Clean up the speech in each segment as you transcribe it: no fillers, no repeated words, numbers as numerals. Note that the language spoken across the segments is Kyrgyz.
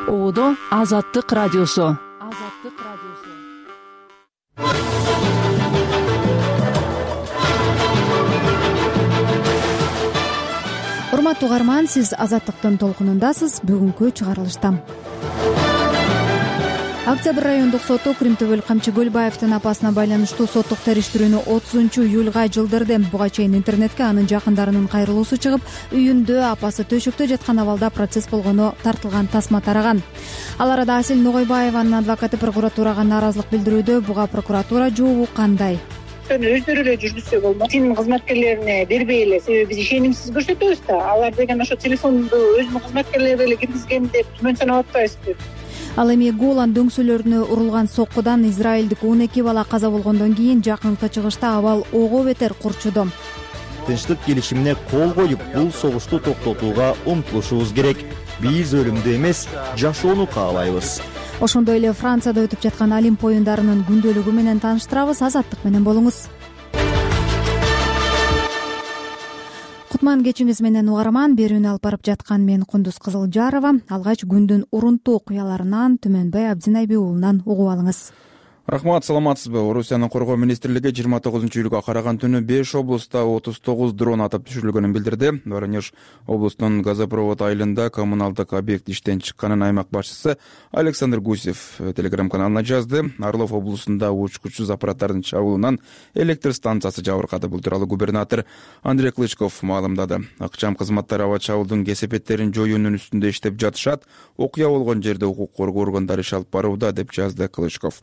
Оодо Азаттык радиосу. Урматтуу угарман, сиз Азаттыктын толкунундасыз. Бүгүнкү чыгарылышта Октябрь райондук соту Кримтөбөл Камчы Көлбаевдин апасына байланыштуу соттук териштирүүнү 30-июлга жылдырды. Буга чейин интернетке анын жакындарынын кайрылуусу чыгып, үйүндө апасы төшөктө жаткан абалда процесс болгону тартылган тасма тараган. Ал арада Асель Ногойбаеванын адвокаты прокуратурага нааразылык билдирүүдө. Буга прокуратура жообу кандай? Өздөрү эле жүргүзсө болмок. Тин кызматкерлерине бербей эле, себеби биз ишенимсиз көрсөтөбүз да. Алар деген ошо телефонду өзүнүн кызматкерлери эле киргизген деп түмөн санап атпайбызбы? Ал эми Голан дөңсөлөрүнө урулган соккудан израилдик 12 бала каза болгондон кийин жакынкы чыгышта абал ого бетер курчуду. Тынчтык келишимине кол коюп, бул согушту токтотууга умтулушубуз керек. Биз өлүмдү эмес, жашоону каалайбыз. Ошондой эле Францияда өтүп жаткан Олимп оюндарынын күндөлүгү менен тааныштырабыз. Азаттык менен болуңуз. Кутман кечиңиз менен угарман. Берүүнү алып барып жаткан мен Кундуз Кызылжарова. Алгач күндүн урунтуу окуяларынан Түмөнбай Абдинайби уулунан угуп алыңыз. Рахмат, саламатсызбы? Орусиянын коргоо министрлиги 29-июлга караган түнү 5 облуста 39 дрон атып түшүрүлгөнүн билдирди. Воронеж облусунун Газопровод айылында коммуналдык объект иштен чыкканын аймак башчысы Александр Гусев телеграм-каналына жазды. Орлов облусунда учкучсуз аппараттардын чабуулунан электр станциясы жабыркады. Бул тууралуу губернатор Андрей Клычков маалымдады. Акчам кызматтары аба чабуулдун кесепеттерин жоюунун үстүндө иштеп жатышат. Окуя болгон жерде укук коргоо органдары иш алып барууда, деп жазды Клычков.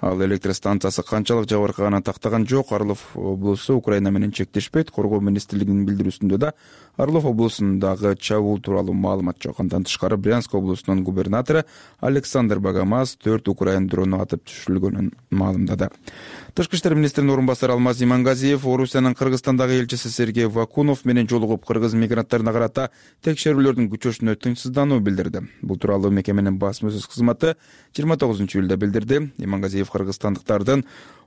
Ал электр станциясы канчалык жабыркаганын тактаган жок. Орлов облусу Украина менен чектешпейт. Коргоо министрлигинин билдирүүсүндө да Орлов облусундагы чабуул тууралуу маалымат жок. Андан тышкары Брянск облусунун губернатору Александр Багамаз 4 украин дрону атып түшүрүлгөнүн маалымдады. Тышкы иштер министринин орун басары Алмаз Имангазиев Орусиянын Кыргызстандагы элчиси Сергей Вакунов менен жолугуп, кыргыз мигранттарына карата текшерүүлөрдүн күчөшүнө тынчсыздануу билдирди. Бул тууралуу мекеменин басма-сөз кызматы 29-июлда билдирди. Имангазиев кыргызстандыктардын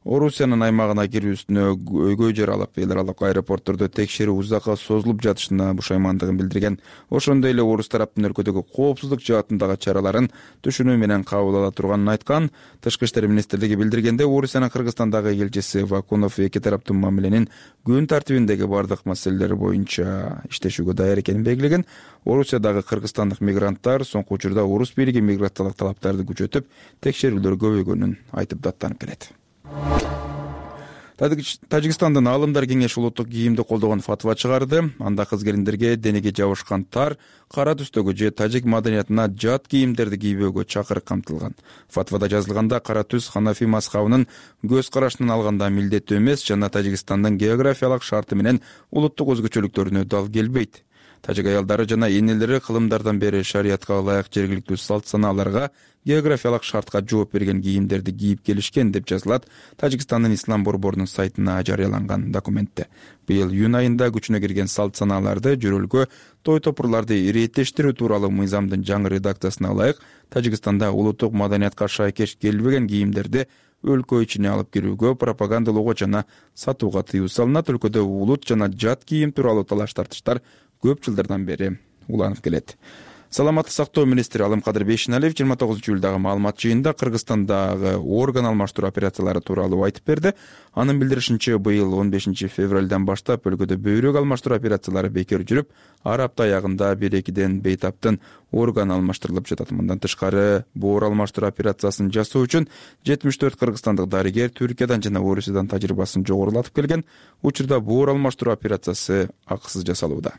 Орусиянын аймагына кирүүсүнө өйгөй жер алып, эл аралык аэропорттордо текшерүү узакка созулуп жатышына бушаймандыгын билдирген. Ошондой эле орус тараптын өлкөдөгү коопсуздук жаатындагы чараларын түшүнүү менен кабыл ала турганын айткан. Тышкы иштер министрлиги билдиргенде, Орусиянын Кыргызстандагы элчиси Вакунов эки тараптын мамиленин күн тартибиндеги бардык маселелер боюнча иштешүүгө даяр экенин белгилеген. Орусиядагы кыргызстандык мигранттар соңку учурда орус бийлиги миграциялык талаптарды күчөтүп, текшерүүлөр көбөйгөнүн айтып даттанып келет. Тажикстандын Аалымдар кеңеши улуттук кийимди колдогон фатва чыгарды. Анда кыз-келиндерге денеге жабышкан тар, кара түстөгү же тажик маданиятына жат кийимдерди кийбөөгө чакырык камтылган. Фатвада жазылганда кара түс Ханафи мазхабынын көз карашынан алганда милдеттүү эмес жана Тажикстандын географиялык шарты менен улуттук өзгөчөлүктөрүнө дал келбейт. Тажик аялдары жана энелери кылымдардан бери шариятка ылайык жергиликтүү салт-санааларга, географиялык шартка жооп берген кийимдерди кийип келишкен, деп жазылат Тажикстандын ислам борборунун сайтына жарыяланган документте. Быйыл июнь айында күчүнө кирген салт-санааларды, жөрөлгө, той-топурларды иреттештирүү тууралуу мыйзамдын жаңы редакциясына ылайык Тажикстанда улуттук маданиятка шайкеш келбеген кийимдерди өлкө ичине алып кирүүгө, пропагандалоого жана сатууга тыюу салынат. Өлкөдө улут жана жат кийим тууралуу талаш-тартыштар көп жылдардан бери уланып келет. Саламаттык сактоо министри Алымкадыр Бейшеналиев 29-июлдагы маалымат жыйынында Кыргызстандагы орган алмаштыруу операциялары тууралуу айтып берди. Анын билдиришинче, быйыл 15 февралдан баштап өлкөдө бөйрөк алмаштыруу операциялары бекер жүрүп, ар апта аягында 1-2 бейтаптын орган алмаштырылып жатат. Мындан тышкары, боор алмаштыруу операциясын жасоо үчүн 74 кыргызстандык дарыгер Түркиядан жана Орусиядан тажрыйбасын жогорулатып келген. Учурда боор алмаштыруу операциясы акысыз жасалууда.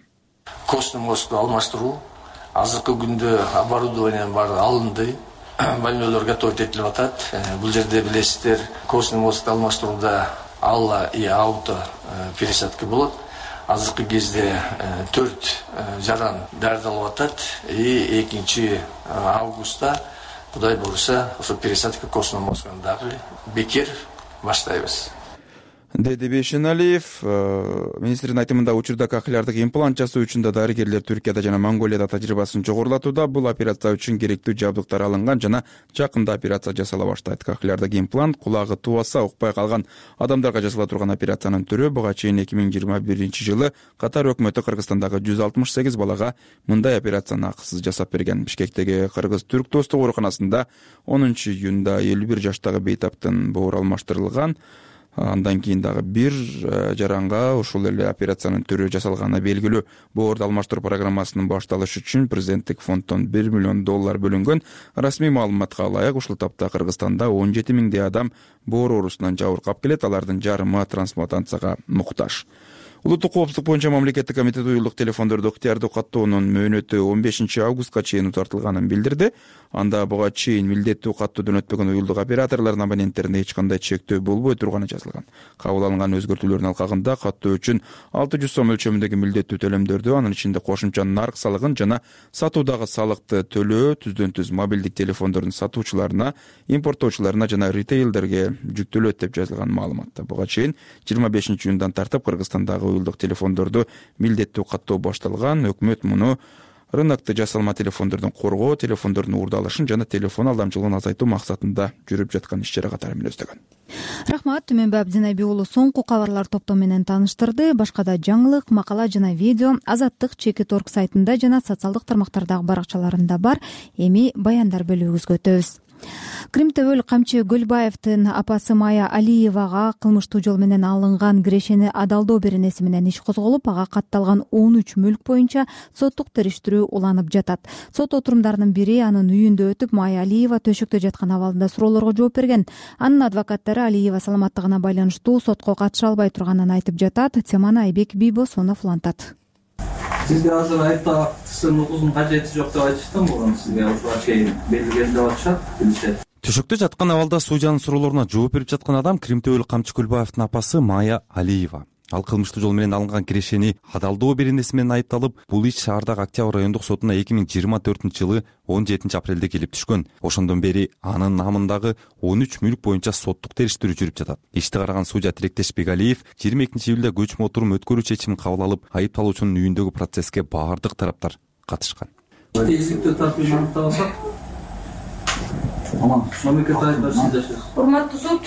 Костный мосту алмаштыруу, азыркы күндө оборудованиянын баары алынды, больнойлор готовить этилип атат. Бул жерде билесиздер, костный мосту алмаштырууда алла и ауто пересадка болот. Азыркы кезде 4 жаран даярдалып атат и 2 августта Кудай буюрса, ошо пересадка костный мостун дагы бекер баштайбыз. деди Бейшеналиев. Министрдин айтымында учурда кохлеардык имплант жасоо үчүн да дарыгерлер Түркияда жана Монголияда тажрыйбасын жогорулатууда. Бул операция үчүн керектүү жабдыктар алынган жана жакында операция жасала баштайт. Кохлеардык имплант кулагы тубаса укпай калган адамдарга жасала турган операциянын түрү. Буга чейин 2021-жылы Катар өкмөтү Кыргызстандагы 168 балага мындай операцияны акысыз жасап берген. Бишкектеги кыргыз-түрк достук ооруканасында 10-июнда 51 жаштагы бейтаптын боору алмаштырылган. Андан кийин дагы бир жаранга ушул эле операциянын түрү жасалганы белгилүү. Боорду алмаштыруу программасынын башталышы үчүн президенттик фонддон $1 миллион бөлүнгөн. Расмий маалыматка ылайык ушул тапта Кыргызстанда 17 миңдей адам боор оорусунан жабыркап келет. Алардын жарымы трансплантацияга муктаж. Улуттук коопсуздук боюнча мамлекеттик комитет уюлдук телефондорду ыктыярдуу каттоонун мөөнөтү 15 августка чейин узартылганын билдирди. Анда буга чейин милдеттүү каттоодон өтпөгөн уюлдук операторлордун абоненттерине эч кандай чектөө болбой турганы жазылган. Кабыл алынган өзгөртүүлөрдүн алкагында каттоо үчүн 600 сом өлчөмүндөгү милдеттүү төлөмдөрдү, анын ичинде кошумча нарк салыгын жана сатуудагы салыкты төлөө түздөн-түз мобилдик телефондордун сатуучуларына, импорттоочуларына жана ритейлдерге жүктөлөт деп жазылган маалыматта. Буга чейин 25-июндан тартып Кыргызстандагы уюлдук телефондорду милдеттүү каттоо башталган. Өкмөт муну рынокто жасалма телефондордун коргоо, телефондордун уурдалышын жана телефон алдамчылыгын азайтуу максатында жүрүп жаткан иш-чара катары мүнөздөгөн. Рахмат. Түмөнбай Абдинайби уулу соңку кабарлар топтому менен тааныштырды. Башка да жаңылык, макала жана видео Азаттык Чекит.org сайтында жана социалдык тармактардагы баракчаларында бар. Эми баяндар бөлүгүбүзгө өтөбүз. Кримтөбөл Камчы Гөлбаевдин апасы Майя Алиевага кылмыштуу жол менен алынган кирешени адалдоо беренеси менен иш козголуп, ага катталган 13 мүлк боюнча соттук териштирүү уланып жатат. Сот отурумдарынын бири анын үйүндө өтүп, Майя Алиева төшөктө жаткан абалында суроолорго жооп берген. Анын адвокаттары Алиева саламаттыгына байланыштуу сотко катыша албай турганын айтып жатат. Теманы Айбек Бийбосонов улантат. Сизге азыр айыпталуучунун укугунун кажети жок деп айтышты, буга сизге ушуга чейин белгилеген деп атышат, билишет. Төшөктө жаткан абалда судьянын суроолоруна жооп берип жаткан адам Кримтөбөл Камчы Гөлбаевдин апасы Майя Алиева. Ал кылмыштуу жол менен алынган кирешени адалдоо беренеси менен айыпталып, бул иш шаардагы Октябрь райондук сотуна 2024-жылы 17 апрелде келип түшкөн. Ошондон бери анын намындагы 13 мүлк боюнча соттук териштирүү жүрүп жатат. Ишти караган судья Тилектеш Бегалиев 22-июлда көчмө отурум өткөрүү чечимин кабыл алып, айыпталуучунун үйүндөгү процесске баардык тараптар катышкан. Тезиктүү тартип аныкталсак, урматтуу суд,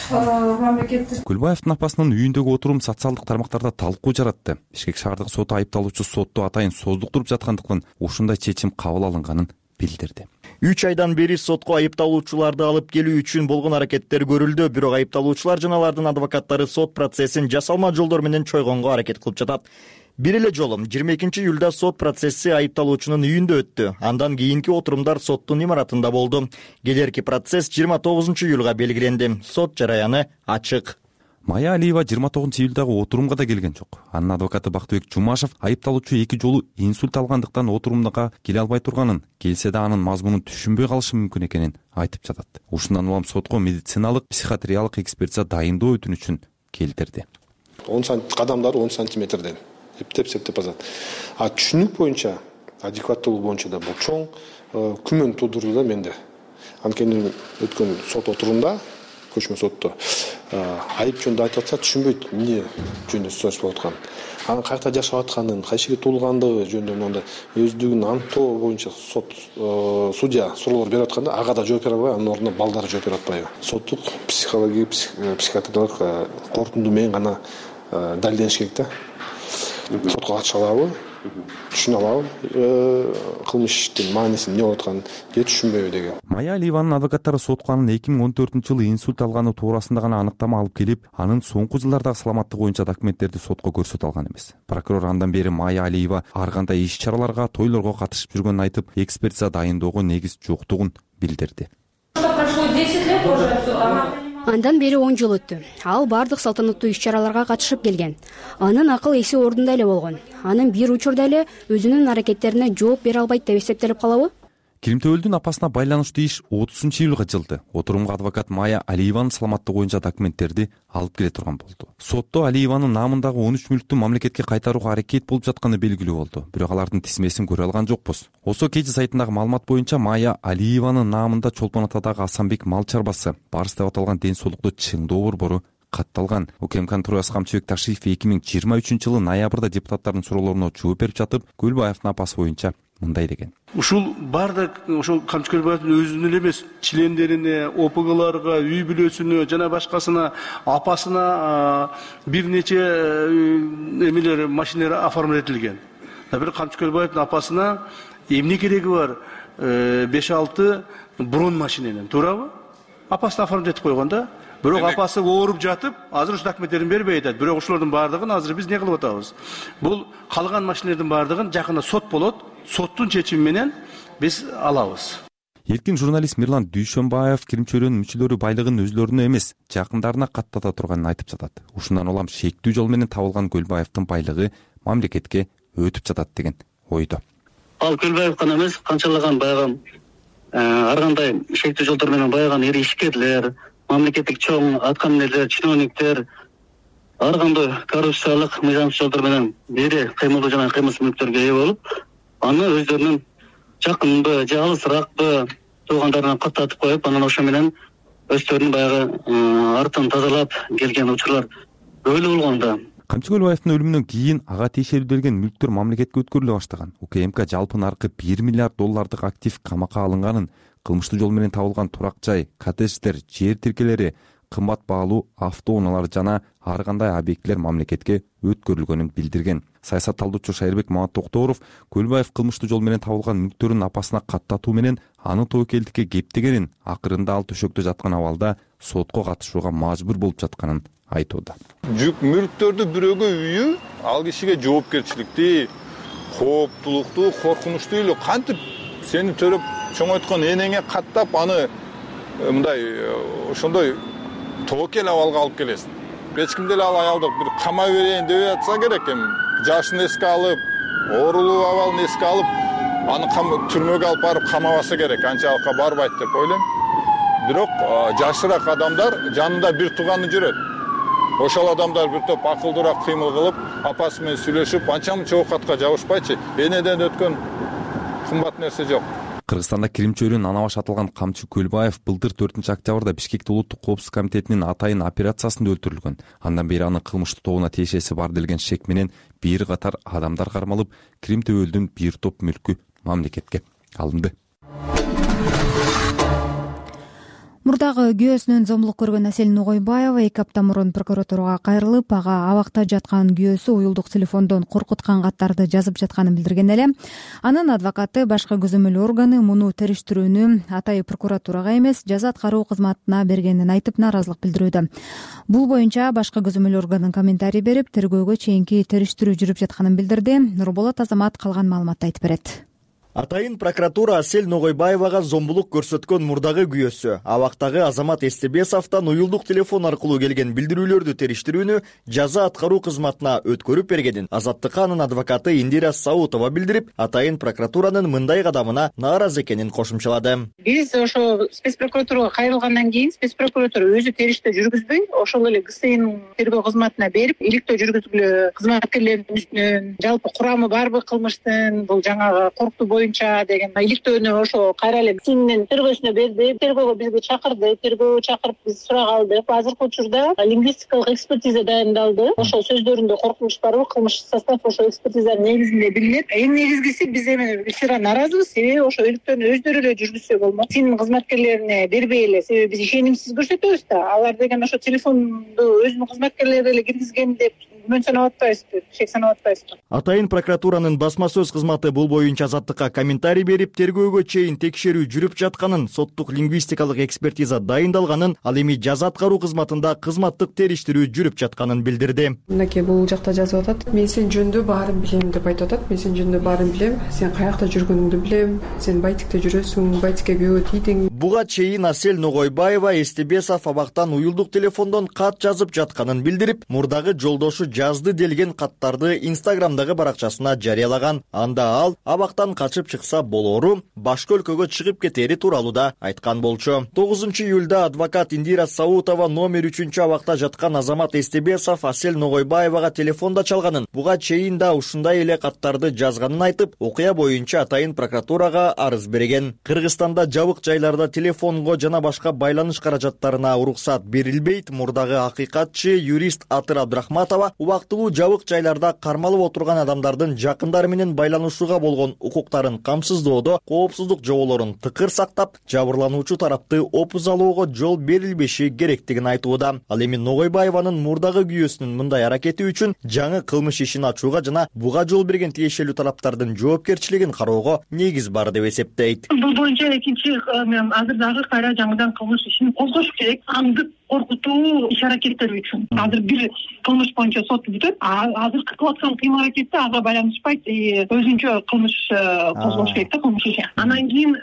мамлекеттик Гүлбаевдин апасынын үйүндөгү отурум социалдык тармактарда талкуу жаратты. Бишкек шаардык соту айыпталуучу сотто атайын создуктуруп жаткандыктан ушундай чечим кабыл алынганын билдирди. 3 айдан бери сотко айыпталуучуларды алып келүү үчүн болгон аракеттер көрүлдү. Бирок айыпталуучулар жана алардын адвокаттары сот процессин жасалма жолдор менен чойгонго аракет кылып жатат. Бир эле жолу 22-июлда сот процесси айыпталуучунун үйүндө өттү. Андан кийинки отурумдар соттун имаратында болду. Келерки процесс 29-июлга белгиленди. Сот жараяны ачык. Майя Алиева 29-июлдагы отурумга да келген жок. Анын адвокаты Бактыбек Жумашев айыпталуучу 2 жолу инсульт алгандыктан отурумга келе албай турганын, келсе да анын мазмунун түшүнбөй калышы мүмкүн экенин айтып жатат. Ушундан улам сотко медициналык, психиатриялык экспертиза дайындоо өтүнүчүн келтирди. 10 кадамдары 10 сантиметрден эптеп азат. Түшүнүк боюнча, адекваттуулук боюнча да бул чоң күмөн туудурду да менде. Анткени өткөн сот отурумда, көчмө сотто айып жөнүндө айтып атса түшүнбөйт эмне жөнүндө сөз болуп аткан. Анын кайерде жашап атканын, кайсы жерде туулгандыгы жөнүндө мындай өздүгүн аныктоо боюнча сот судья суроолор берип атканда ага да жооп бере албай, анын ордуна балдары жооп берип атпайбы. Соттук психологиялык, психиатриялык корутунду менен гана далилдениш керек да. Сотко катыша алабы, түшүнө алабы, кылмыштын маанисин эмне болуп атканын же түшүнбөйбү деген. Майя Алиеванын адвокаттары сотко анын 2014-жылы инсульт алганы туурасында гана аныктама алып келип, анын соңку жылдардагы саламаттыгы боюнча документтерди сотко көрсөтө алган эмес. Прокурор андан бери Майя Алиева ар кандай иш-чараларга, тойлорго катышып жүргөнүн айтып, экспертиза дайындоого негиз жоктугун билдирди. Андан бери 10 жыл өттү. Ал бардык салтанаттуу иш-чараларга катышып келген. Анын акыл эси ордунда эле болгон. Анын бир учурда эле өзүнүн аракеттерине жооп бере албайт деп эсептелип калабы? Кримтөбөлдүн апасына байланыштуу иш 30-июлга жылды. Отурумга адвокат Майя Алиеванын саламаттыгы боюнча документтерди алып келе турган болду. Сотто Алиеванын намындагы 13 мүлктү мамлекетке кайтарууга аракет болуп жатканы белгилүү болду. Бирок алардын тизмесин көрө алган жокпуз. Осо Кежи сайтындагы маалымат боюнча Майя Алиеванын намында Чолпон Атадагы Асанбек мал чарбасы, Барыс деп аталган ден соолукту чыңдоо борбору катталган. УКМКнын төрагасы Камчыбек Ташиев 2023-жылы ноябрда депутаттардын суроолоруна жооп берип жатып, Көлбаевдин апасы боюнча мындай деген. Ушул бардык ошол Камчы Көлбаевдин өзүнө эле эмес, члендерине, ОПГларга, үй бүлөсүнө жана башкасына, апасына бир нече эмелер, машиналар оформлять этилген. Бирок Камчы Көлбаевдин апасына эмне кереги бар? 5-6 брон машиненен, туурабы? Апасына оформлять этип койгон да. Бирок апасы ооруп жатып, азыр ушу документтерин бербей атат. Бирок ошолордун бардыгын азыр биз не кылып атабыз? Бул калган машиналардын бардыгын жакында сот болот. Соттун чечими менен биз алабыз. Эркин журналист Мирлан Дүйшөнбаев кирим-чөйрөнүн мүчөлөрү байлыгын өзлөрүнө эмес, жакындарына каттата турганын айтып жатат. Ушундан улам шектүү жол менен табылган Көлбаевдин байлыгы мамлекетке өтүп жатат деген ойдо. Ал Көлбаев гана эмес, канчалаган баягы ар кандай шектүү жолдор менен байыган ири ишкерлер, мамлекеттик чоң аткаминерлер, чиновниктер ар кандай коррупциялык мыйзамсыз жолдор менен ири кыймылдуу жана кыймылсыз мүлктөргө ээ болуп, аны өздөрүнүн жакынбы же алысыракпы туугандарына каттатып коюп, анан ошо менен өздөрүнүн баягы артын тазалап келген учурлар өлү болгон да. Камчы Көлбаевдин өлүмүнөн кийин ага тиешелүүлдөлгөн мүлктөр мамлекетке өткөрүлө баштаган. УКМК жалпы наркы $1 миллиард актив камакка алынганын, кылмыштуу жол менен табылган турак жай, коттедждер, жер тиркелери, кымбат баалуу автоунаалар жана ар кандай объектилер мамлекетке өткөрүлгөнүн билдирген. Саясат талдоочу Шайырбек Маматтокторов Көлбаев кылмыштуу жол менен табылган мүлктөрүн апасына каттатуу менен аны тобокелдикке кептегенин, акырында ал төшөктө жаткан абалда сотко катышууга мажбур болуп жатканын айтууда. Жүк мүлктөрдү бирөөгө үйү ал кишиге жоопкерчиликти, кооптулукту, коркунучтуу эле кантип сени төрөп чоңойткон энеңе каттап аны мындай ошондой тобокел абалга алып келесиң. Эч ким деле ал аялды бир камай берейин деп атса керек эми. Жашын эске алып, оорулуу абалын эске алып, аны түрмөгө алып барып камабаса керек. Анчалыкка барбайт деп ойлойм. Бирок жашыраак адамдар жанында бир тууганы жүрөт. Ошол адамдар бир топ акылдуураак кыймыл кылып, апасы менен сүйлөшүп, анча-мынча оокатка жабышпайчы. Энеден өткөн кымбат нерсе жок. Кыргызстанда кирим-чөйрөнүн ана башы атылган Камчы Көлбаев былтыр 4-октябрда Бишкекте улуттук коопсуздук комитетинин атайын операциясында өлтүрүлгөн. Андан бери анын кылмыштуу тобуна тиешеси бар делген шек менен бир катар адамдар кармалып, Крим төбөлдүн бир топ мүлкү мамлекетке алынды. Мурдагы күйөөсүнөн зомбулук көргөн Асель Нугойбаева 2 апта мурун прокуратурага кайрылып, ага абакта жаткан күйөөсү уюлдук телефондон коркуткан каттарды жазып жатканын билдирген эле. Анын адвокаты башкы көзөмөл органы муну териштирүүнү атайын прокуратурага эмес, жаза аткаруу кызматына бергенин айтып нааразылык билдирүүдө. Бул боюнча башкы көзөмөл органы комментарий берип, тергөөгө чейинки териштирүү жүрүп жатканын билдирди. Нурболот Азамат калган маалыматты айтып берет. Атайын прокуратура Асель Нугойбаевага зомбулук көрсөткөн мурдагы күйөөсү абактагы Азамат Эстебесовдон уюлдук телефон аркылуу келген билдирүүлөрдү териштирүүнү жаза аткаруу кызматына өткөрүп бергенин Азаттыкка анын адвокаты Индира Саутова билдирип, атайын прокуратуранын мындай кадамына нааразы экенин кошумчалады. Биз ошо спец прокуратурага кайрылгандан кийин спец прокуратура өзү териштөө жүргүзбөй, ошол эле ГСИнин тергөө кызматына берип, иликтөө жүргүзгүлө кызматкерлердин үстүнөн жалпы курамы барбы кылмыштын, бул жаңагы корктуу боюнча деген иликтөөнү ошо кайра эле ГСИнин тергөөсүнө берди. Тергөөгө бизди чакырды, тергөө чакырып биз сурак алдык. Азыркы учурда лингвистикалык экспертиза дайындалды. Ошол сөздөрүндө коркунуч барбы, кылмыш состав ошо экспертизанын негизинде билинет. Эң негизгиси биз эми сыра нааразыбыз, себеби ошо иликтөөнү өздөрү эле жүргүзсө болмок. ГСИнин кызматкерлерине бербей эле, себеби биз ишенимсиз көрсөтөбүз да. Алар деген ошо телефонду өзүнүн кызматкерлери эле киргизген деп күмөн санап атпайбызбы, шек санап атпайбызбы. Атайын прокуратуранын басма сөз кызматы бул боюнча Азаттыкка комментарий берип, тергөөгө чейин текшерүү жүрүп жатканын, соттук лингвистикалык экспертиза дайындалганын, ал эми жаза аткаруу кызматында кызматтык териштирүү жүрүп жатканын билдирди. Мынакей бул жакта жазып атат. Мен сен жөнүндө баарын билем деп айтып атат. Мен сен жөнүндө баарын билем. Сен каякта жүргөнүңдү билем. Сен Байтикте жүрөсүң, Байтикке күйөө тийдиң. Буга чейин Асель Нугойбаева Эстебесов абактан уюлдук телефондон кат жазып жатканын билдирип, мурдагы жолдошу жазды делген каттарды Инстаграмдагы баракчасына жарыялаган. Анда ал абактан качып чыкса болору, башка өлкөгө чыгып кетери тууралуу да айткан болчу. 9-июлда адвокат Индира Саутова номер 3 абакта жаткан Азамат Эстебесов Асель Нугойбаевага телефонда чалганын, буга чейин да ушундай эле каттарды жазганын айтып, окуя боюнча атайын прокуратурага арыз берген. Кыргызстанда жабык жайларда телефонго жана башка байланыш каражаттарына уруксат берилбейт. Мурдагы акыйкатчы юрист Атыр Абдрахматова убактылуу жабык жайларда кармалып отурган адамдардын жакындары менен байланышууга болгон укуктарын камсыздоодо коопсуздук жоболорун тыкыр сактап, жабырлануучу тарапты опузалоого жол берилбеши керектигин айтууда. Ал эми Ногойбаеванын мурдагы күйөөсүнүн мындай аракети үчүн жаңы кылмыш ишин ачууга жана буга жол берген тиешелүү тараптардын жоопкерчилигин кароого негиз бар деп эсептейт. Бул боюнча экинчи азыр дагы кайра жаңыдан кылмыш ишин козгош керек. Аңдып коркутуу иш-аракеттер үчүн. Азыр бир кылмыш боюнча сот бүтөт. Азыр кылып аткан кыйм-аракетти ага байланышпайт, өзүнчө кылмыш козгош керек да, кылмыш иши. Анан кийин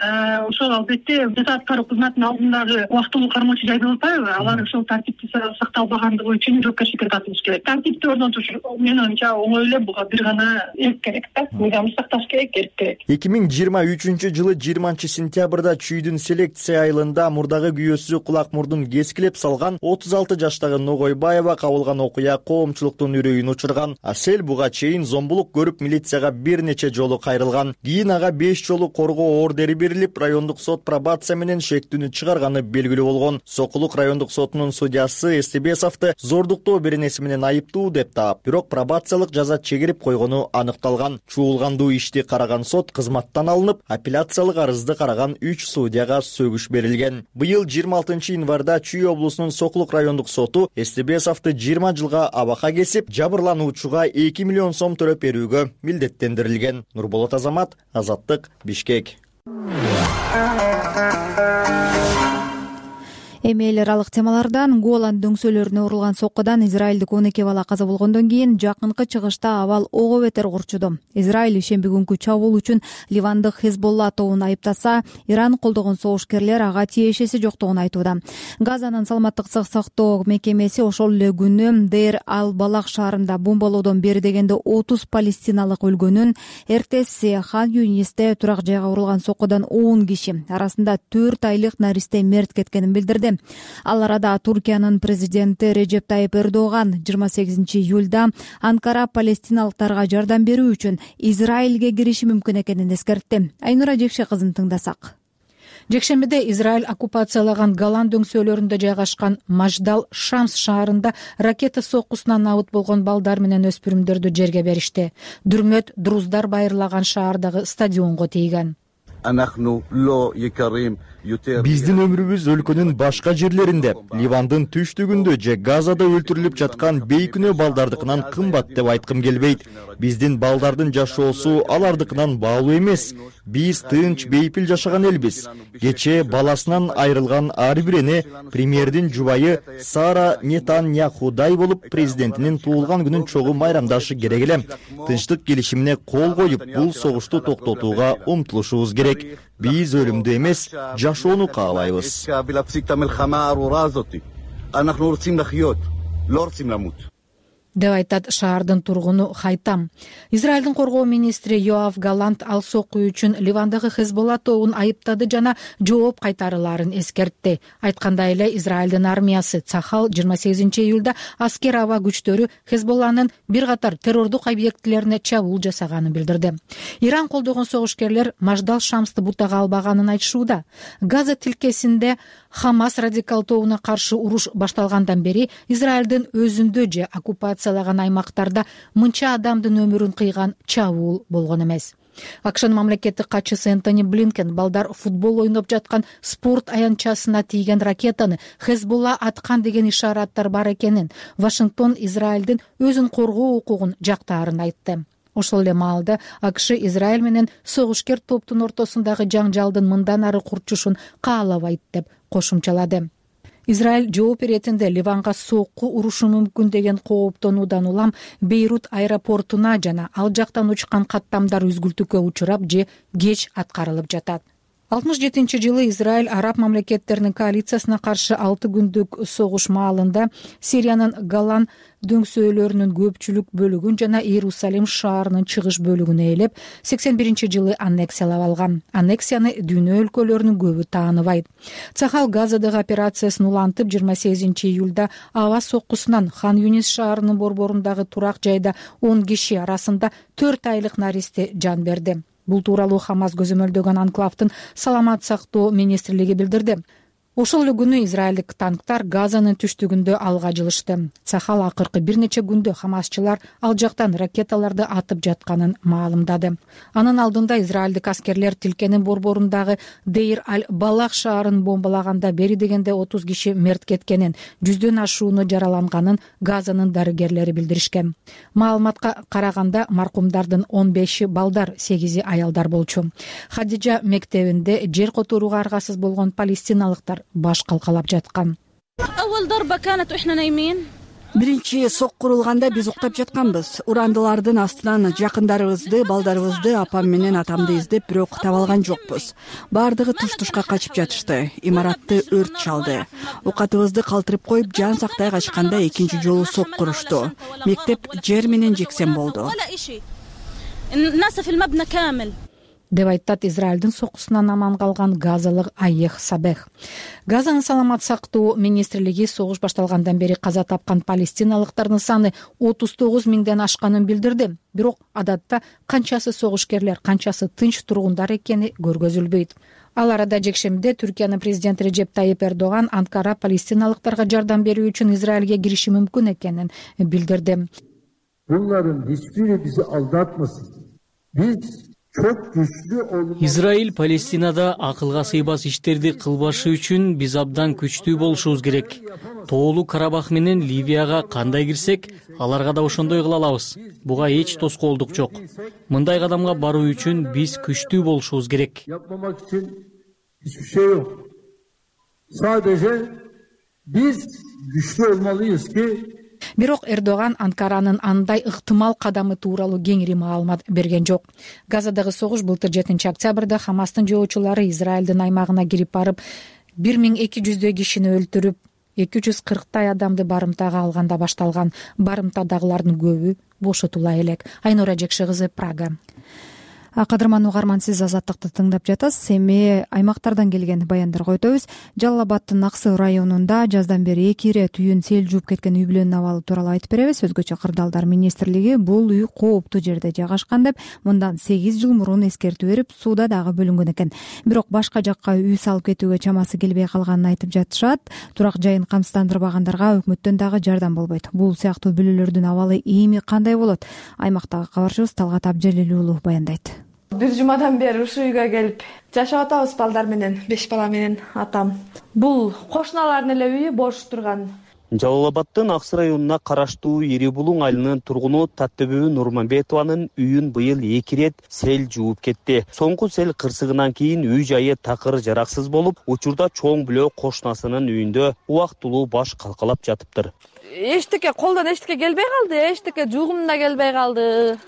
ошол албетте жаза аткаруу кызматынын алдындагы убактылуу кармоочу жайдап атпайбы? Алар ошол тартипти сакталбагандыгы үчүн жоопкерчиликке тартылыш керек. Тартипти орнотуш менин оюмча оңой эле, буга бир гана эрк керек да. Мыйзамды сакташ керек, эрк керек. 2023-жылы 20-сентябрда Чүйдүн селекция айылында мурдагы күйөөсү кулак мурдун кескилеп салган 36 жаштагы Ногойбаева кабылган окуя коомчулуктун үрөйүн учурган. Асел буга чейин зомбулук көрүп милицияга бир нече жолу кайрылган. Кийин ага 5 жолу коргоо ордери берилип, райондук сот пробация менен шектүүнү чыгарганы белгилүү болгон. Сокулук райондук сотунун судьясы Эстебесовду зордуктоо беренеси менен айыптуу деп таап, бирок пробациялык жаза чегирип койгону аныкталган. Чуулгандуу ишти караган сот кызматтан алынып, апелляциялык арызды караган 3 судьяга сөгүш берилген. Быйыл 26 январда Чүй облусунун Сокулук райондук соту Эстебесовду 20 жылга абакка кесип, жабырлануучуга 2 миллион сом төлөп берүүгө милдеттендирилген. Нурболот Азамат, Азаттык, Бишкек. Эми эл аралык темалардан Голан дөңсөлөрүнө урулган соккудан израилдик 12 бала каза болгондон кийин жакынкы чыгышта абал ого бетер курчуду. Израиль ишемби күнкү чабуул үчүн Ливандык Хезболла тобун айыптаса, Иран колдогон согушкерлер ага тиешеси жоктугун айтууда. Газанын саламаттык сактоо мекемеси ошол эле күнү Дейр ал-Балах шаарында бомбалоодон бери дегенде 30 палестиналык өлгөнүн, эртеси Хан Юнисте турак жайга урулган соккудан 10 киши, арасында 4 айлык наристе мерт кеткенин билдирди. Ал арада Туркиянын президенти Режеп Тайип Эрдоган 28 июлда Анкара палестиналыктарга жардам берүү үчүн Израилге кириши мүмкүн экенин эскертти. Айнура Жекше кызын тыңдасак. Жекшембиде Израиль оккупациялаган Голан дөңсөлөрүндө жайгашкан Маждал Шамс шаарында ракета соккусунан абыт болгон балдар менен өспүрүмдөрдү жерге беришти. Дүрмөт друздар байырлаган шаардагы стадионго тийген. Биздин өмүрүбүз өлкөнүн башка жерлеринде, Ливандын түштүгүндө же Газада өлтүрүлүп жаткан бейкүнөө балдардыкынан кымбат деп айткым келбейт. Биздин балдардын жашоосу алардыкынан баалуу эмес. Биз тынч, бейпил жашаган элбиз. Кечээ баласынан айрылган ар бир эне премьердин жубайы Сара Нетаньяхудай болуп, президентинин туулган күнүн чогуу майрамдашы керек эле. Тынчтык келишимине кол коюп, бул согушту токтотууга умтулушубуз керек. Биз өлүмдү эмес, жашоону каалайбыз. деп айтат шаардын тургуну Хайтам. Израилдин коргоо министри Йоав Галант ал сокку үчүн Ливандагы Хезболла тобун айыптады жана жооп кайтарыларын эскертти. Айткандай эле Израилдин армиясы Цахал 28 июлда аскер аба күчтөрү Хезболланын бир катар террордук объектилерине чабуул жасаганын билдирди. Иран колдогон согушкерлер Маждал Шамсты бутага албаганын айтышууда. Газа тилкесинде Хамас радикал тобуна каршы уруш башталгандан бери Израилдин өзүндө же оккупациялаган аймактарда мынча адамдын өмүрүн кыйган чабуул болгон эмес. АКШнын мамлекеттик катчысы Энтони Блинкен балдар футбол ойноп жаткан спорт аянтчасына тийген ракетаны Хезболла аткан деген ишараттар бар экенин, Вашингтон Израилдин өзүн коргоо укугун жактаарын айтты. Ошол эле маалда АКШ Израиль менен согушкер топтун ортосундагы жаңжалдын мындан ары курчушун каалабайт деп кошумчалады. Израиль жооп иретинде Ливанга сокку урушу мүмкүн деген кооптонуудан улам Бейрут аэропортуна жана ал жактан учкан каттамдар үзгүлтүккө учурап же кеч аткарылып жатат. 67-жылы Израиль араб мамлекеттеринин коалициясына каршы 6 күндүк согуш маалында Сириянын Голан дөңсөөлөрүнүн көпчүлүк бөлүгүн жана Иерусалим шаарынын чыгыш бөлүгүн ээлеп 81-жылы аннексиялап алган. Аннексияны дүйнө өлкөлөрүнүн көбү тааныбайт. Цахал Газадагы операциясын улантып 28 июлда аба соккусунан Хан Юнис шаарынын борборундагы турак жайда 10 киши арасында 4 айлык наристе жан берди. Бул тууралуу Хамас көзөмөлдөгөн анклавдын саламат сактоо министрлиги билдирди. Ошол эле күнү израилдик танктар Газанын түштүгүндө алга жылышты. Цахал акыркы бир нече күндө хамасчылар ал жактан ракеталарды атып жатканын маалымдады. Анын алдында израилдик аскерлер тилкенин борборундагы Дейр аль-Балах шаарын бомбалаганда бери дегенде 30 киши мерт кеткенин, 100дөн ашууну жараланганын Газанын дарыгерлери билдиришкен. Маалыматка караганда маркумдардын 15 балдар, 8 аялдар болчу. Хадижа мектебинде жер которууга аргасыз болгон палестиналыктар баш калкалап жаткан. Биринчи сок курулганда биз уктап жатканбыз. Урандылардын астынан жакындарыбызды, балдарыбызды, апам менен атамды издеп, бирок таба алган жокпуз. Бардыгы туш-тушка качып жатышты. Имаратты өрт чалды. Оокатыбызды калтырып коюп, жан сактай качканда экинчи жолу сок курушту. Мектеп жер менен жексен болду. Деп айтат Израилдин сокусунан аман калган газалык Айех Сабех. Газанын саламат сактоо министрлиги согуш башталгандан бери каза тапкан палестиналыктардын саны 39 миңден ашканын билдирди. Бирок адатта канчасы согушкерлер, канчасы тынч тургундар экени көргөзүлбөйт. Ал арада жекшембиде Түркиянын президенти Режеп Тайип Эрдоган Анкара палестиналыктарга жардам берүү үчүн Израилге кириши мүмкүн экенин билдирди. Bunların hiçbiri bizi aldatmasın. Biz Израиль Палестинада акылга сыйбас иштерди кылбашы үчүн биз абдан күчтүү болушубуз керек. Тоолуу Карабах менен Ливияга кандай кирсек, аларга да ошондой кыла алабыз. Буга эч тоскоолдук жок. Мындай кадамга баруу үчүн биз күчтүү болушубуз керек. Yapmamak için hiçbir şey yok. Sadece biz güçlü olmalıyız ki Бирок Эрдоган Анкаранын андай ыктымал кадамы тууралуу кеңири маалымат берген жок. Газадагы согуш былтыр 7 октябрда Хамастын жоочулары Израилдин аймагына кирип барып, 1200 кишини өлтүрүп, 240 адамды барымтага алганда башталган. Барымтадагылардын көбү бошотула элек. Айнура Жекши кызы, Прага. Кадырман угарман, сиз Азаттыкты тыңдап жатасыз. Эми аймактардан келген баяндарга өтөбүз. Жалал Абадтын Аксы районунда жаздан бери 2 ирет үйүн сел жууп кеткен үй бүлөнүн абалы тууралуу айтып беребиз. Өзгөчө Кырдаалдар министрлиги бул үй кооптуу жерде жайгашкан деп мындан 8 жыл мурун эскертүү берип, сууда дагы бөлүнгөн экен. Бирок башка жакка үй салып кетүүгө чамасы келбей калганын айтып жатышат. Турак жайын камсыздандырбагандарга өкмөттөн дагы жардам болбойт. Бул сыяктуу бүлөлөрдүн абалы эми кандай болот? Аймактагы кабарчыбыз Талгат Абжалил уулу баяндайт. Бир жумадан бери ушул үйгө келип жашап атабыз балдар менен, 5 бала менен атам. Бул кошуналардын эле үйү бош турган. Жалал Абадтын Аксы районуна караштуу Ири Булуң айылынын тургуну Таттөбү Нурманбетованын үйүн быйыл 2 ирет сел жууп кетти. Соңку сел кырсыгынан кийин үй жайы такыр жараксыз болуп, учурда чоң бүлө кошунасынын үйүндө убактылуу баш калкалап жатыптыр. Эчтеке колдон эчтеке келбей калды, эчтеке жуугум да келбей калды.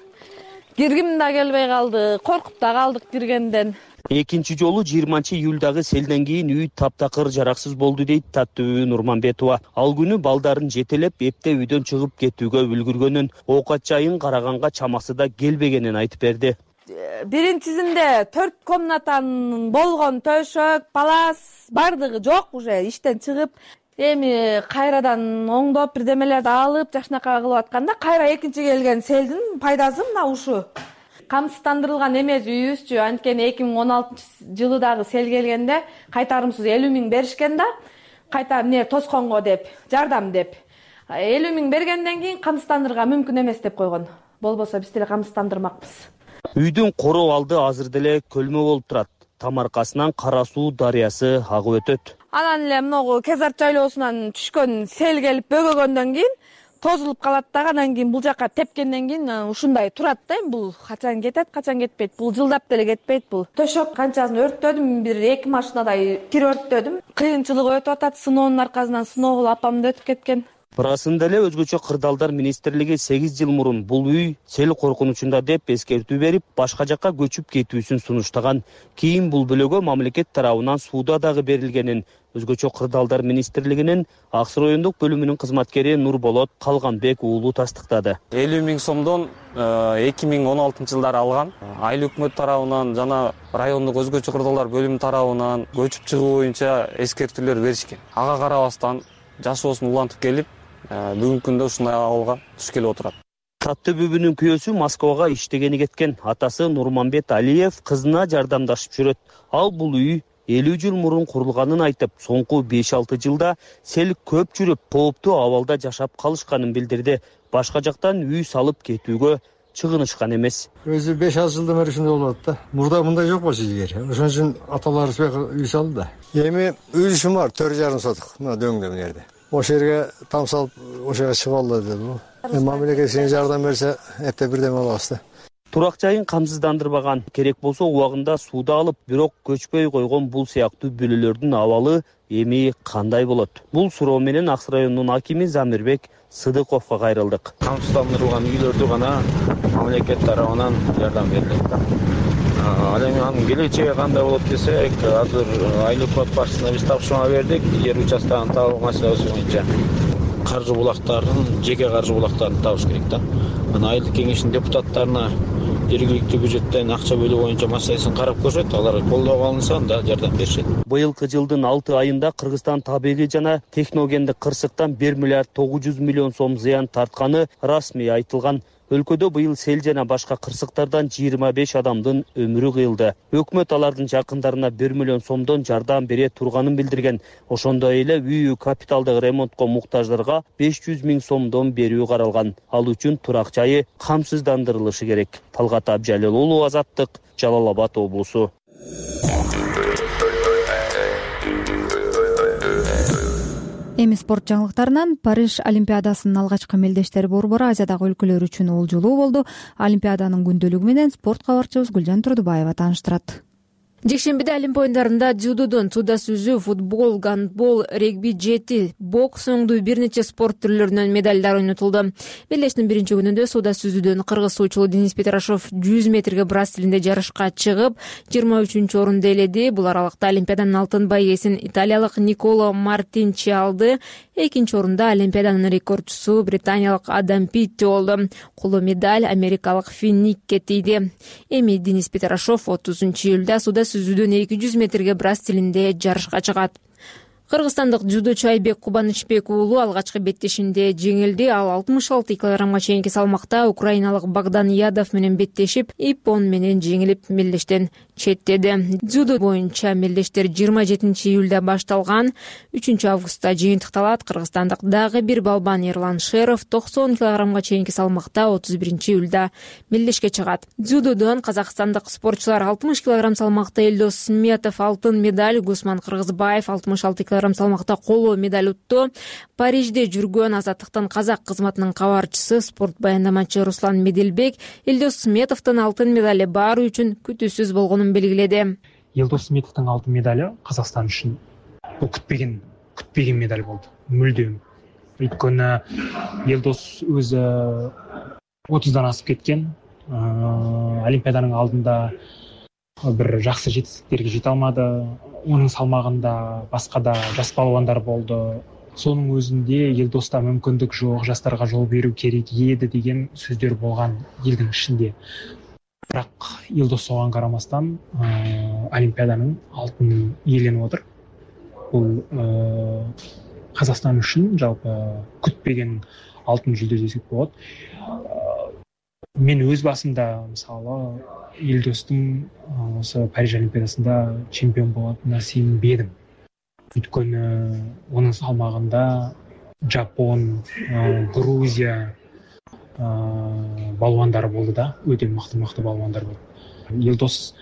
Киргим да келбей калды, коркуп да калдык киргенден. Экинчи жолу 20-июлдагы селден кийин үй таптакыр жараксыз болду дейт Таттөбү Нурманбетова. Ал күнү балдарын жетелеп, эпте үйдөн чыгып кетүүгө үлгүргөнүн, оокат жайын караганга чамасы да келбегенин айтып берди. Биринчисинде 4 комнатанын болгон төшөк, палас бардыгы жок, уже иштен чыгып, эми кайрадан оңдоп бирдемелерди алып жакшынакай кылып атканда, кайра экинчи келген селдин пайдасы мына ушу. Камсыздандырылган эмес үйүбүзчү, анткени 2016-жылы дагы сел келгенде кайтарымсыз 50 миң беришкен да, кайта эмне тосконго деп, жардам деп. 50 миң бергенден кийин камсыздандырууга мүмкүн эмес деп койгон. Болбосо биз деле камсыздандырмакпыз. Үйдүн короо алды азыр деле көлмө болуп турат. Тамаркасынан Кара Суу дарыясы агып өтөт. Анан эле могу Кезарт жайлоосунан түшкөн сел келип бөгөгөндөн кийин тозулуп калат да, анан кийин бул жака тепкенден кийин ушундай турат да. Бул качан кетет, качан кетпейт. Бул жылдап деле кетпейт бул. Төшөк канчасын өрттөдүм, бир 2 машинадай кир өрттөдүм. Кыйынчылык өтүп атат, сыноонун аркасынан сыноо апам да өтүп кеткен. Ырасында эле өзгөчө Кырдаалдар министрлиги 8 жыл мурун бул үй сел коркунучунда деп эскертүү берип, башка жакка көчүп кетүүсүн сунуштаган. Кийин бул бөлөгө мамлекет тарабынан сууда дагы берилгенин өзгөчө Кырдаалдар министрлигинин Аксы райондук бөлүмүнүн кызматкери Нурболот Калганбек уулу тастыктады. 50 миң сомдон 2016-жылдары алган. Айыл өкмөт тарабынан жана райондук өзгөчө Кырдаалдар бөлүмү тарабынан көчүп чыгуу боюнча эскертүүлөр беришкен. Ага карабастан жашоосун улантып келип, бүгүнкү күндө ушундай абалга түшкеле отурат. Таттөбүбүнүн күйөөсү Москвага иштегени кеткен. Атасы Нурманбет Алиев кызына жардамдашып жүрөт. Ал бул үй 50 жыл мурун курулганын айтып, соңку 5-6 жылда сел көп жүрүп, кооптуу абалда жашап калышканын билдирди. Башка жактан үй салып кетүүгө чыгынышкан эмес. Өзү 5-6 жылдан бери ушундай болуп атат да. Мурда мындай жок болчу илгери. Ошон үчүн аталарыбыз үй салды да. Эми үй бар 4,5 соток. Мына дөңдө мына жерде. Ошол жерге там салып, ошол жерге чыгып алды деди. Мамлекет сен жардам берсе, эрте бирдеме алабыз да. Турак жайын камсыздандырбаган, керек болсо убагында сууда алып, бирок көчпөй койгон бул сыяктуу бүлөлөрдүн абалы эми кандай болот? Бул суроо менен Акс районунун акими Замирбек Сыдыковго кайрылдык. Камсыздандырылган үйлөрдү гана мамлекет тарабынан жардам берилет да. Ал эми анын келечеги кандай болот десек, азыр айлык код башчысына биз тапшырма бердик, жер участканын табуу маселеси боюнча. Каржы булактарын, жеке каржы булактарын табыш керек да. Анан айылдык кеңештин депутаттарына жергиликтүү бюджеттен акча бөлүү боюнча маселесин карап көрүшөт, алар колдоого алынса анда жардам беришет. Быйылкы жылдын 6 айында Кыргызстан табигый жана техногендик кырсыктан 1 миллиард 900 миллион сом зыян тартканы расмий айтылган. Өлкөдө быйыл сел жана башка кырсыктардан 25 адамдын өмүрү кыйылды. Өкмөт алардын жакындарына 1 миллион сомдон жардам бере турганын билдирген. Ошондой эле үй капиталдык ремонтко муктаждарга 500 миң сомдон берүү каралган. Ал үчүн турак жайы камсыздандырылышы керек. Талгат Абжалил уулу, Азаттык, Жалал Абад облусу. Эми спорт жаңылыктарынан Париж Олимпиадасынын алгачкы мелдештери борбору Азиядагы өлкөлөр үчүн олжолуу болду. Олимпиаданын күндөлүгү менен спорт кабарчыбыз Гүлжан Турдубаева тааныштырат. Жекшембиде Олимп оюндарында дзюдодон сууда сүзүү, футбол, гандбол, регби, жети, бокс оңдуу бир нече спорт түрлөрүнөн медалдар ойнотулду. Белдештин биринчи күнүндө сууда сүзүүдөн кыргыз суучулу Денис Петрашов 100 метрге брас стилинде жарышка чыгып, 23-орунду ээледи. Бул аралыкта Олимпиаданын алтын байгесин италиялык Николо Мартинчи алды. Экинчи орунда Олимпиаданын рекордчусу британиялык Адам Питти болду. Коло медаль америкалык Фин Никке тийди. Эми Денис Петрашов 30-июлда сууда сүзүүдөн 200 метрге брас стилинде жарышка чыгат. Кыргызстандык дзюдочу Айбек Кубанычбек уулу алгачкы беттешинде жеңилди. Ал 66 килограммга чейинки салмакта украиналык Богдан Ядов менен беттешип, иппон менен жеңилип мелдештен четтеди. Дзюдо боюнча мелдештер 27-июлда башталган. 3-августта жыйынтыкталат. Кыргызстандык дагы бир балбан Эрлан Шеров 90 килограммга чейинки салмакта 31-июлда мелдешке чыгат. Дзюдодон казакстандык спортчулар 60 килограмм салмакта Элдос Сметов алтын медаль, Гусман Кыргызбаев 66 килограмм салмакта коло медаль утту. Парижде жүргөн Азаттыктын казак кызматынын кабарчысы, спорт баяндамачы Руслан Меделбек Элдос Сметовдун алтын медали баары үчүн күтүүсүз болгонун белгиледи. Элдос Сметовдун алтын медали Казакстан үчүн бул күтпеген медаль болду. Мүлдөм. Өйткөнү Элдос өзү 30дан асып кеткен. Олимпиаданын алдында бир жакшы жетистиктерге жете алмады. Onun салмагында башка да жас балбандар болду. Сонун өзүндө Элдоста мүмкүндүк жок, жастарга жол берүү керек эди деген сөздөр болгон элдин ичинде. Бирок Элдос оған карамастан Олимпиаданын алтынын ээленип отур. Бул Казакстан үчүн жалпы күтпеген алтын жүлдө десек болот. Мен өз басымда мисалы Элдостун осы Париж Олимпиадасында чемпион болатынына сенбедим. Өйткөнү онун салмагында Жапон, Грузия балбандары болду да, өтө мыкты балбандар болду. Элдос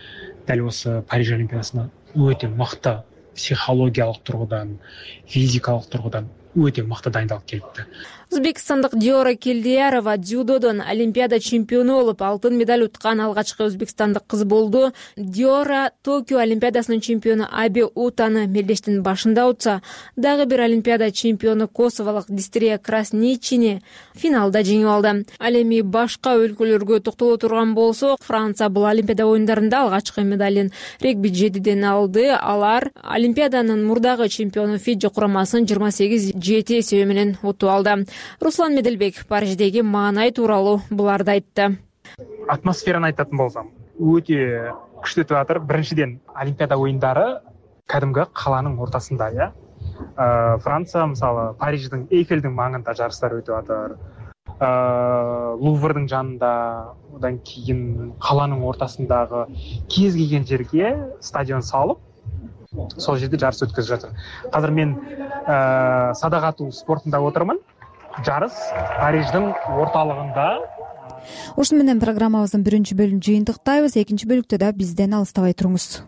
дәл осы Париж Олимпиадасына өтө мыкты психологиялык тургудан, физикалык тургудан өтө мыкты дайындалып келипти. Өзбекстандык Диора Келдиярова дзюдодон Олимпиада чемпиону болуп, алтын медаль уткан алгачкы өзбекстандык кыз болду. Диора Токио Олимпиадасынын чемпиону Аби Утаны мелдештин башында утса, дагы бир Олимпиада чемпиону косовалык Дистрия Красничини финалда жеңип алды. Ал эми башка өлкөлөргө токтоло турган болсок, Франция бул Олимпиада оюндарында алгачкы медалин регби 7ден алды. Алар Олимпиаданын мурдагы чемпиону Фиджи курамасын 28-7 эсеби менен утуп алды. Руслан Меделбек Париждеги маанай тууралуу буларды айтты. Атмосфераны айтатын болсам, өтө күчтүү өтүп атыр. Биринчиден Олимпиада оюндары кадимги каланын ортосунда, Франция мисалы Париждин Эйфелдин маңында жарыштар өтүп атыр. Луврдың жанында, одан кийин каланын ортасындагы кез келген жерге стадион салып, сол жерде жарыс өткөзүп жатыр. Азыр мен садак атуу спортунда отурмун. Жарыс Париждин орталыгында. Ушуну менен программабыздын биринчи бөлүмүн жыйынтыктайбыз. Экинчи бөлүктө да бизден алыстабай туруңуз.